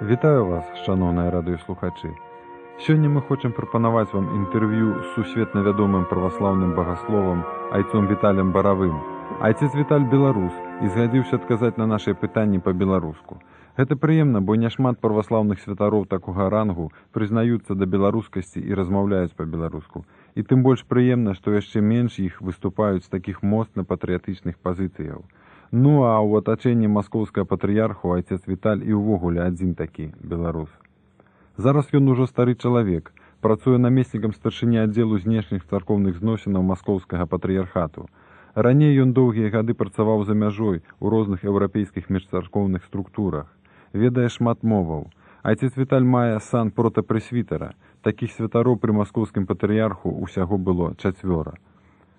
Вітаю вас, шановныя радыёслухачы. Сёння мы хочам прапанаваць вам інтэрв'ю з сусветна вядомым праваслаўным багасловам айцом Віталем Баравым. Айцец Віталь беларус і згадзіўся адказаць на нашыя пытанні па-беларуску. Гэта прыемна, бо няшмат праваслаўных святароў такога рангу прызнаюцца да беларускасці і размаўляюць па-беларуску. І тым больш прыемна, што яшчэ менш іх выступаюць з такіх моцна патрыятычных пазіцыяў. Ну а ў атачэнні маскоўскага патрыярху айцец Віталь і ўвогуле адзін такі беларус. Зараз ён ужо стары чалавек, працуе намеснікам старшыні аддзелу знешніх царкоўных зносінаў маскоўскага патрыярхату. Раней ён доўгія гады працаваў за мяжой у розных еўрапейскіх міжцаркоўных структурах. Ведае шмат моваў. Айцец Віталь мае сан протапрэсвітара. Такіх святароў пры маскоўскім патрыярху ўсяго было 4.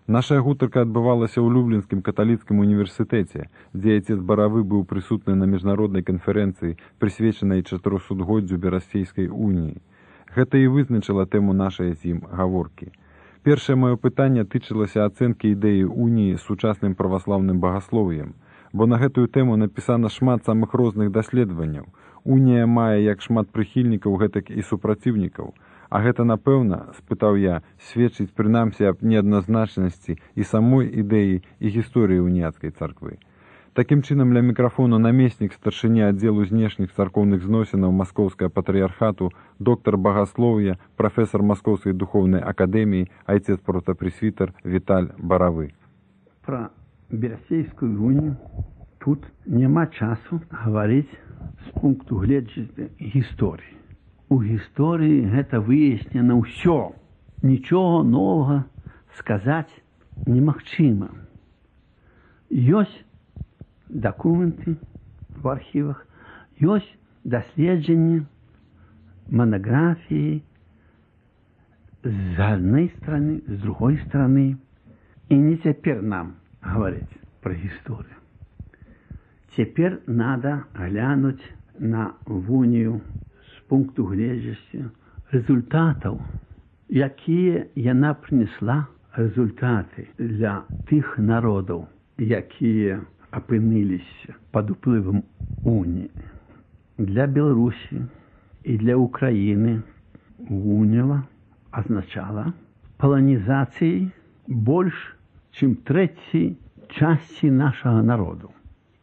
Наша гутарка адбывалася ў Люблінскім каталіцкім універсітэце, дзе айцец Баравы быў прысутны на міжнароднай канферэнцыі, прысвечанай 400-годдзю Берасцейскай уніі. Гэта і вызначыла тэму нашай з ім гаворкі. Першае маё пытанне тычылася ацэнкі ідэі уніі з сучасным праваслаўным багаслов'ем, бо на гэтую тэму напісана шмат самых розных даследаванняў. Унія мае як шмат прыхільнікаў, гэтак і супраціўнікаў. А гэта, напэўна, спытаў я, сведчыць прынамсі аб неадназначнасці і самой ідэі і гісторыі уніяцкай царквы. Такім чынам, ля мікрафону намеснік старшыні аддзелу знешніх царкоўных зносінаў маскоўскага патрыярхату, доктар багаслоўя, прафесар Маскоўскай духоўнай акадэміі, айцец протапрэсвітар Віталь Баравы. Пра Берасцейскую унію тут няма часу гаварыць з пункту гледжання гісторыі. У гісторыі гэта выяснена ўсё. Нічога новага сказаць немагчыма. Ёсць дакументы в архівах, ёсць даследжанні, манаграфіі з адной стороны, з другой стороны. І не цяпер нам гаварыць пра гісторыю. Цяпер надо глянуць на унію пункту гледжання результатаў, якія яна прынесла результаты для тых народаў, якія апынуліся пад уплывам уніі. Для Беларусі і для Украіны унія азначала паланізацыяй больш, чым трэцяй часткі нашага народу.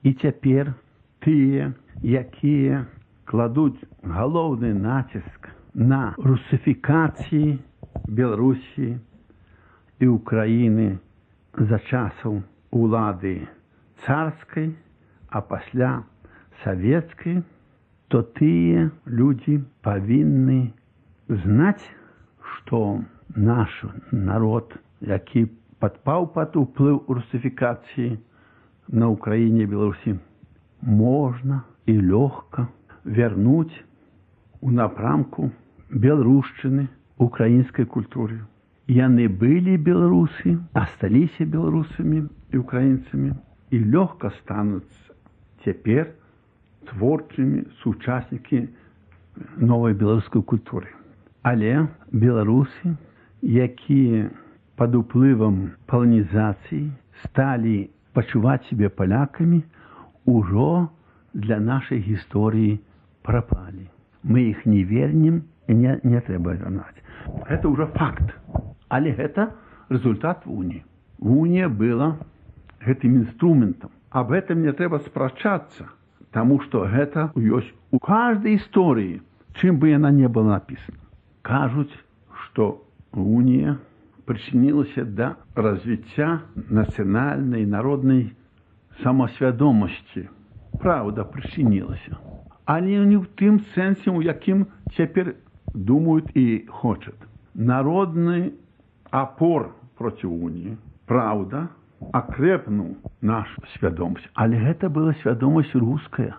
І цяпер тыя, якія кладуць галоўны націск на русифікацыі Беларусі і Украіны за часаў улады царскай, а пасля савецкай, то тыя людзі павінны знаць, што наш народ, які падпаў пад уплыў русифікацыі на Украіне і Беларусі, можна і лёгка вярнуць у напрамку беларушчыны, украінскай культуры. Яны былі беларусы, асталіся беларусамі і украінцамі і лёгка стануць цяпер творчымі сучаснікі новай беларускай культуры. Але беларусы, якія пад уплывам паланізацыі сталі пачуваць сябе палякамі, ужо для нашай гісторыі прапалі. Мы іх не вернем і не трэба вярнаць. Гэта ўжо факт. Але гэта результат уніі. Унія была гэтым інструментам. Аб гэтым не трэба спрачацца, таму што гэта ёсць у каждой гісторыі, чым бы яна не была напісана. Кажуць, што унія прычынілася да развіцця нацыянальнай народнай самасвядомасці. Праўда, прычынілася. Але не ў тым сэнсе, у якім цяпер думаюць і хочуць. Народны апор проці уніі, праўда, акрэпнуў нашу свядомасць. Але гэта была свядомасць руская.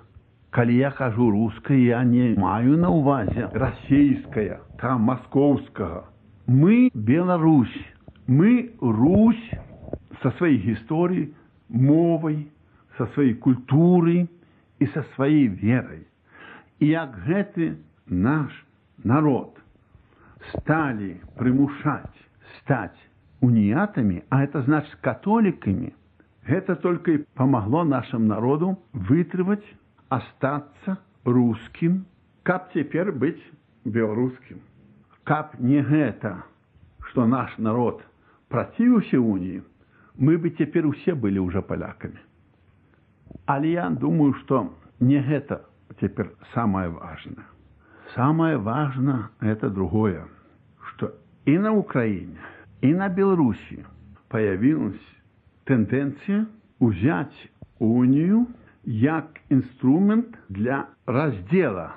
Калі я кажу руская, я не маю на ўвазе расейская, там маскоўскага. Мы Беларусь. Мы Русь са сваёй гісторыяй, мовай, са сваёй культурай і са сваёй верай. І як гэты наш народ сталі прымушаць стаць уніятамі, а это значит католиками, это только и помогло нашему народу вытрывать, остаться русским Как теперь быть белорусским? Как не это, что наш народ противился унии, мы бы теперь все были уже поляками. Але я думаю, что не это теперь самое важное. Самое важное это другое, что и на Украине, и на Беларуси появилась тенденция взять унию как инструмент для раздела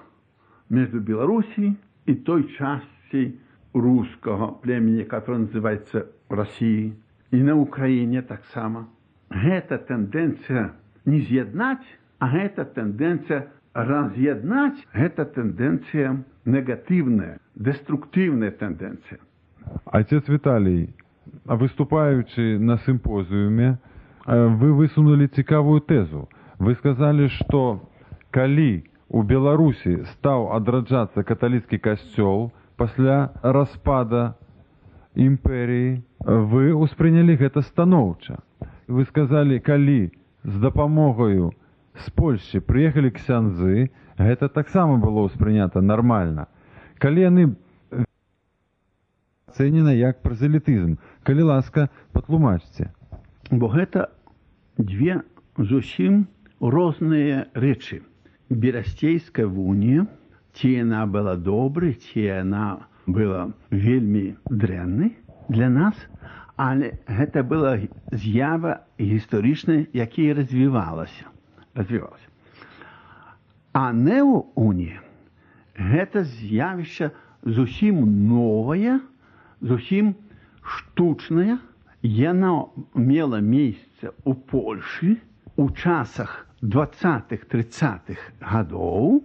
между Белоруссией и той частью русского племени, которое называется Россией, и на Украине так само. Эта тенденция не з'єднать, а эта тенденция разъединять, это тенденция негативная, деструктивная тенденция. Отец Віталій, выступаючи на симпозіумі, ви висунули цікаву тезу. Ви сказали, що коли у Беларусі став адраджацца каталіцкі касцёл пасля распада імперії, вы успрынялі гэта станоўча. Вы сказали, калі з дапамогаю з Польшчы прыехалі ксяндзы, гэта таксама было ўспрынята нармальна. Калі яны ацэнена як празелітызм, калі ласка, патлумачце. Бо гэта две зусім розныя рэчы. Берасцейская унія, ці яна была добрай, ці яна была вельмі дрэннай для нас, але гэта была з'ява гістарычная, якая развівалася. А неоунія гэта з'явішча зусім новае, зусім штучнае. Яна мела месца ў Польшы у часах 20-30-х гадоў,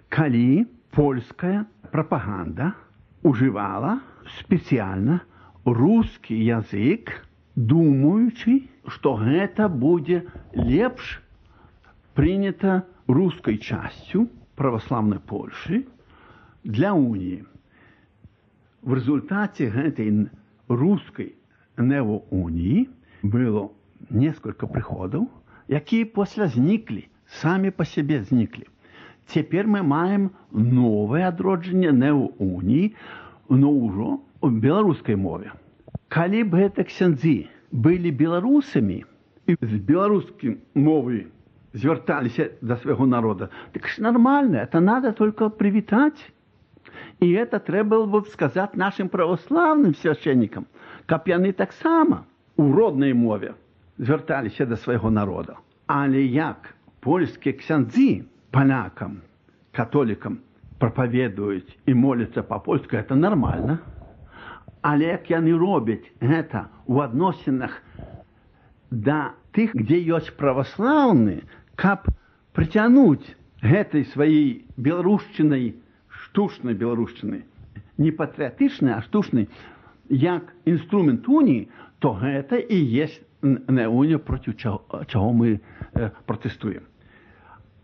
калі польская прапаганда ужывала спецыяльна рускі язык, думаючы, што гэта будзе лепш прынята рускай часцю праваслаўнай Польшы для уніі. В результате гэтай русской неоунии было несколько приходов, якія пасля зніклі, самі по себе зніклі. Цяпер мы маем новае адроджанне неоунии, но ўжо ў беларускай мове. Калі б гэта ксяндзы былі беларусамі і з беларускай мовай звярталіся до свайго народа, так ж нормально, это надо только привітаць. И это треба бы сказать нашим православным священникам, каб яны таксама у роднай мове звярталіся до свайго народа. Але як польскія ксяндзы палякам, католікам прапаведуюць і моляцца па-польску, это нормально. Але як яны робяць гэта у адносінах да тых, дзе ёсць праваслаўны, каб прыцягнуць гэтай сваёй беларушчынай, штучнай беларушчыны, не патрыятычнай, а штучнай, як інструмент уніі, то гэта і есть неунія, проти чаго мы пратэстуем.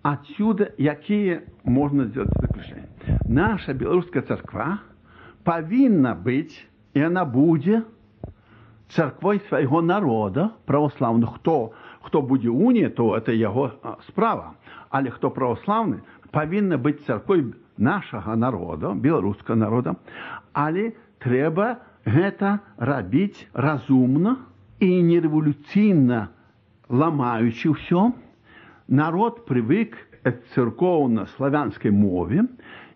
Отсюда якія можна сделать заключение? Наша беларуская царква павінна быць, і яна будзе царквой свайго народа, правослаўных. Хто будзе унія, то это яго справа. Але хто правослаўны, павінна быць царквой нашага народа, беларускага народа, але трэба гэта рабіць разумна і не рэвалюцыйна ламаючы ўсё. Народ прывык к церковно-славянскай мове,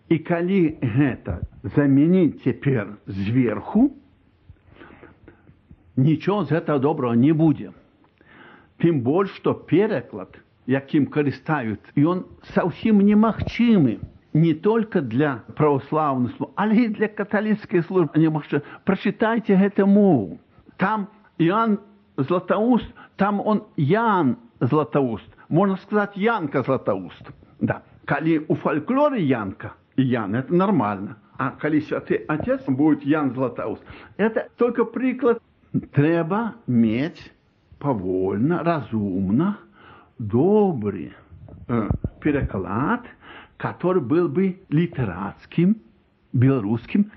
і калі гэта замяніць цяпер зверху, нічого з гэтага добрага не будзе. Тым больш, што пераклад, якім карыстаюць, ён зусім немагчымы. Не только для православных служб, але и для католической службы. Прочитайте эту мову. Там Иоанн Златоуст, там он Ян Златоуст. Можно сказать, Янка Златоуст. Да. Коли у фольклоре Янка и Ян, это нормально. А коли Святый Отец будет Ян Златоуст, это только приклад. Треба иметь повольно, разумно, добрый переклад, который был бы литератским, белорусским,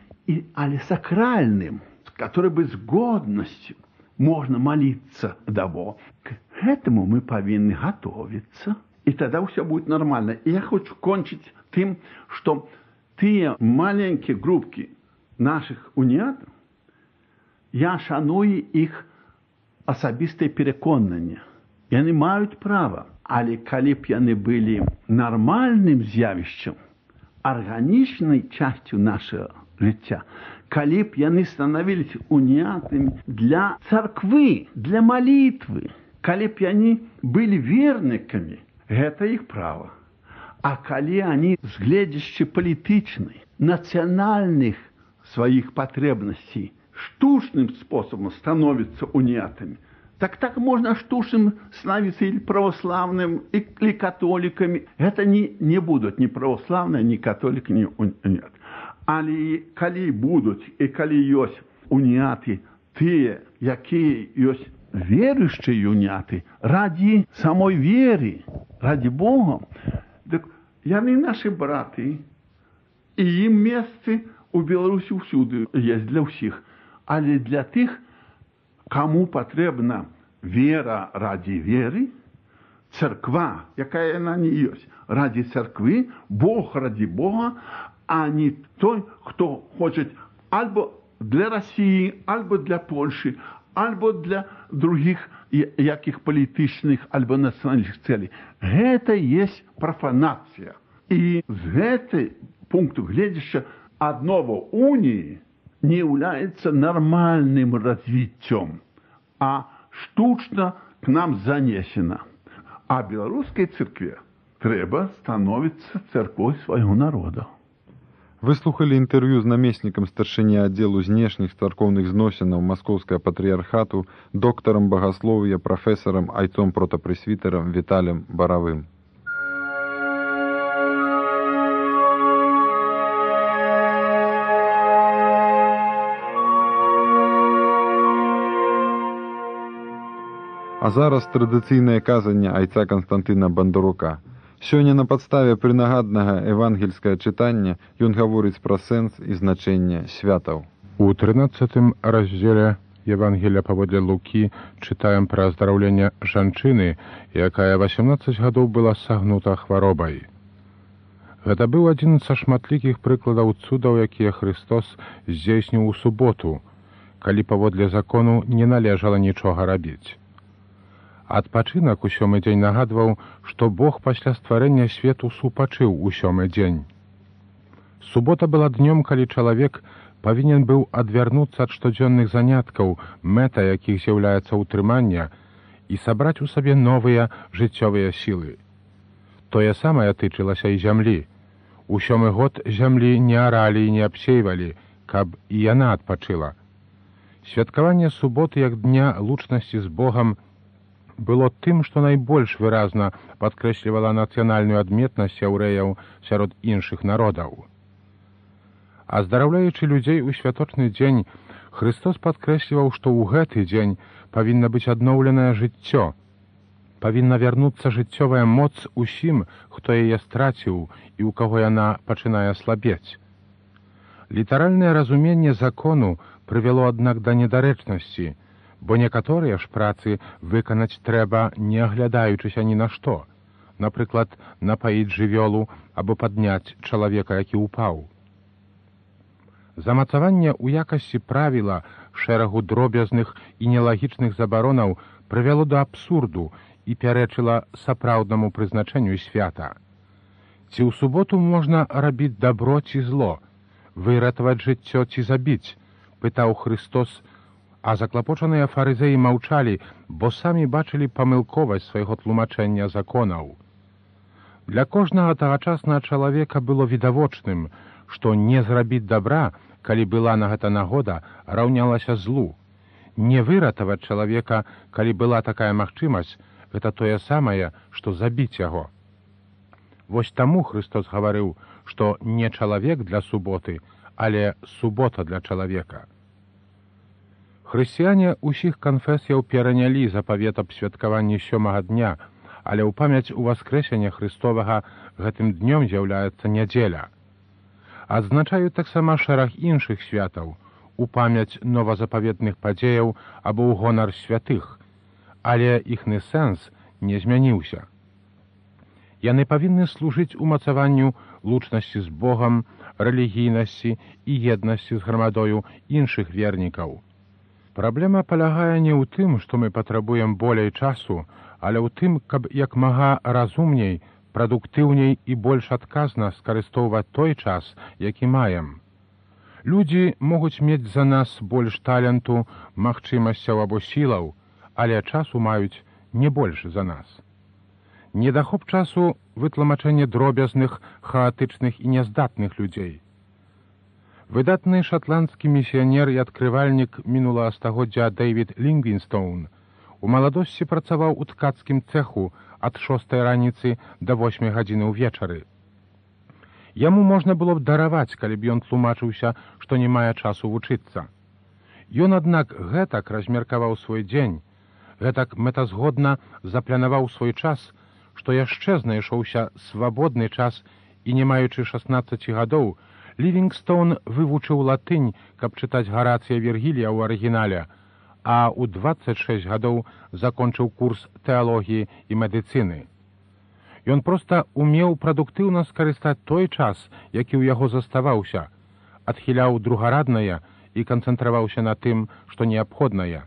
але сакральным, который бы с годностью можно молиться того. К этому мы повинны готовиться И тогда все будет нормально. И я хочу кончить тем, что те маленькие группки наших уніатів, я шаную їх особисте переконання. І вони мають право. Але коли б вони були нормальним з'явищем, органічною частю нашого життя, коли б вони становились уніатами для церкви, для молитви, коли б вони були вірниками, это их право. А коли они, с гледящей политичной, национальных своих потребностей, штучным способом становятся униатами, так можно штучным становиться или православным, или католиками. Это не будут ни православные, ни католики, ни униаты. Але коли будут, и коли есть униаты, те, які есть верующие уніати, ради самой веры, ради Бога, так яны наши браты, и им место у Беларуси всюду есть для всех. Але для тех, кому потребна вера ради веры, церква, якая она не есть, ради церкви, Бог ради Бога, а не той, кто хочет альбо для России, альбо для Польши, альбо для других яких політичних або національних целей. Это есть профанация. И с этого пункта глядящего одного унии не является нормальным развитием, а штучно к нам занесено. А белорусской церкви треба становиться церковью своего народа. Вы слухали інтэрв'ю з намеснікам старшыні аддзелу знешніх царкоўных зносінаў Маскоўскага патрыярхату, доктарам багаслов'я, прафесарам, айцом протапрэсвітарам Віталем Баравым. А зараз традыцыйнае казанне айца Канстантына Бандарука. Сёння на падставе прынагаднага евангельскага чытання ён гаворыць пра сэнс і значэнне святаў. У 13 раздзеле Евангелия паводле Лукі чытаем пра аздараўленне жанчыны, якая 18 гадоў была сагнута хваробай. Гэта быў адзін са шматлікіх прыкладаў цудаў, якія Христос здзейсніў у суботу, калі паводле закону не належала нічога рабіць. Адпачынак у сёмы дзень нагадваў, што Бог пасля стварэння свету супачыў у сёмы дзень. Субота была днём, калі чалавек павінен быў адвярнуцца ад штодзённых заняткаў, мэта якіх з'яўляецца ўтрыманне, і сабраць у сабе новыя жыццёвыя сілы. Тое самае тычылася і зямлі. У сёмы год зямлі не аралі і не абсейвалі, каб і яна адпачыла. Святкаванне суботы як дня лучнасці з Богам было тым, што найбольш выразна падкрэслівала нацыянальную адметнасць яўрэяў сярод іншых народаў. Аздараўляючы людзей у святочны дзень, Христос падкрэсліваў, што ў гэты дзень павінна быць адноўленае жыццё, павінна вярнуцца жыццёвая моц усім, хто яе страціў і ў каго яна пачынае слабець. Літаральнае разуменне закону прывяло, аднак, да недарэчнасці, бо некаторыя ж працы выканаць трэба, не аглядаючыся ні на што, напрыклад, напаіць жывёлу або падняць чалавека, які ўпаў. Замацаванне ў якасці правіла шэрагу дробязных і нелагічных забаронаў прывяло да абсурду і пярэчыла сапраўднаму прызначэнню свята. Ці ў суботу можна рабіць дабро ці зло, выратаваць жыццё ці забіць, пытаў Христос, а заклапочаныя фарызеі маўчалі, бо самі бачылі памылковасць свайго тлумачэння законаў. Для кожнага тагачаснага чалавека было відавочным, што не зрабіць дабра, калі была на гэта нагода, раўнялася злу. Не выратаваць чалавека, калі была такая магчымасць, гэта тое самае, што забіць яго. Вось таму Христос гаварыў, што не чалавек для суботы, але субота для чалавека. Хрысціяне ўсіх канфесіяў перанялі запавет аб святкаванні сёмага дня, але ў памяць уваскрэсення Христовага гэтым днём з'яўляецца нядзеля. Адзначаюць таксама шэраг іншых святаў, у памяць новазапаветных падзеяў або ў гонар святых, але іхны сэнс не змяніўся. Яны павінны служыць умацаванню лучнасці з Богам, рэлігійнасці і еднасці з грамадою іншых вернікаў. Праблема палягае не ў тым, што мы патрабуем болей часу, але ў тым, каб як мага разумней, прадуктыўней і больш адказна скарыстоўваць той час, які маем. Людзі могуць мець за нас больш таленту, магчымасцяў або сілаў, але часу маюць не больш за нас. Недахоп часу – вытлумачэнне дробязных, хаатычных і няздатных людзей. Выдатны шатландскі місіянер і адкрывальнік мінулага стагоддзя Дэвід Лівінгстоун у маладосці працаваў у ткацкім цэху ад 6 раніцы да 8 гадзіны ўвечары. Яму можна было б дараваць, калі б ён тлумачыўся, што не мае часу вучыцца. Ён, аднак, гэтак размеркаваў свой дзень, гэтак мэтазгодна запланаваў свой час, што яшчэ знайшоўся свабодны час і, не маючы 16 гадоў, Лівінгстоун вывучыў латынь, каб чытаць Гарацыя Вергілія ў арыгінале, а ў 26 гадоў закончыў курс тэалогіі і медыцыны. Ён проста умеў прадуктыўна скарыстаць той час, які ў яго заставаўся, адхіляў другараднае і канцэнтраваўся на тым, што неабходнае.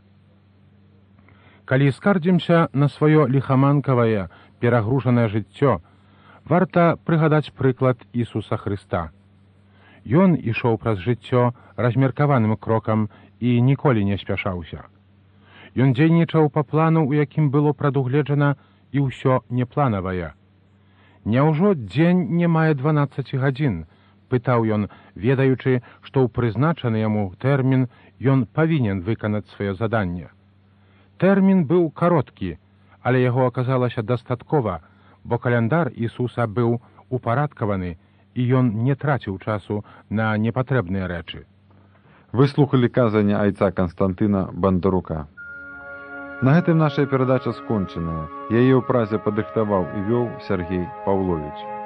Калі скардзімся на сваё ліхаманкавае, перагружанае жыццё, варта прыгадаць прыклад Ісуса Хрыста. Ён ішоў праз жыццё размеркаваным крокам і ніколі не спяшаўся. Ён дзейнічаў па плану, у якім было прадугледжана і ўсё непланавае. «Няўжо дзень не мае 12 гадзін?» – пытаў ён, ведаючы, што ў прызначаны яму тэрмін ён павінен выканаць сваё заданне. Тэрмін быў кароткі, але яго аказалася дастаткова, бо каляндар Ісуса быў упарадкаваны, і ён не траціў часу на непатрэбныя рэчы. Вы слухалі казанне айца Канстантына Бандарука. На гэтым наша перадача скончаная. Яе ў празе падрыхтаваў і вёў Сергей Паўловіч.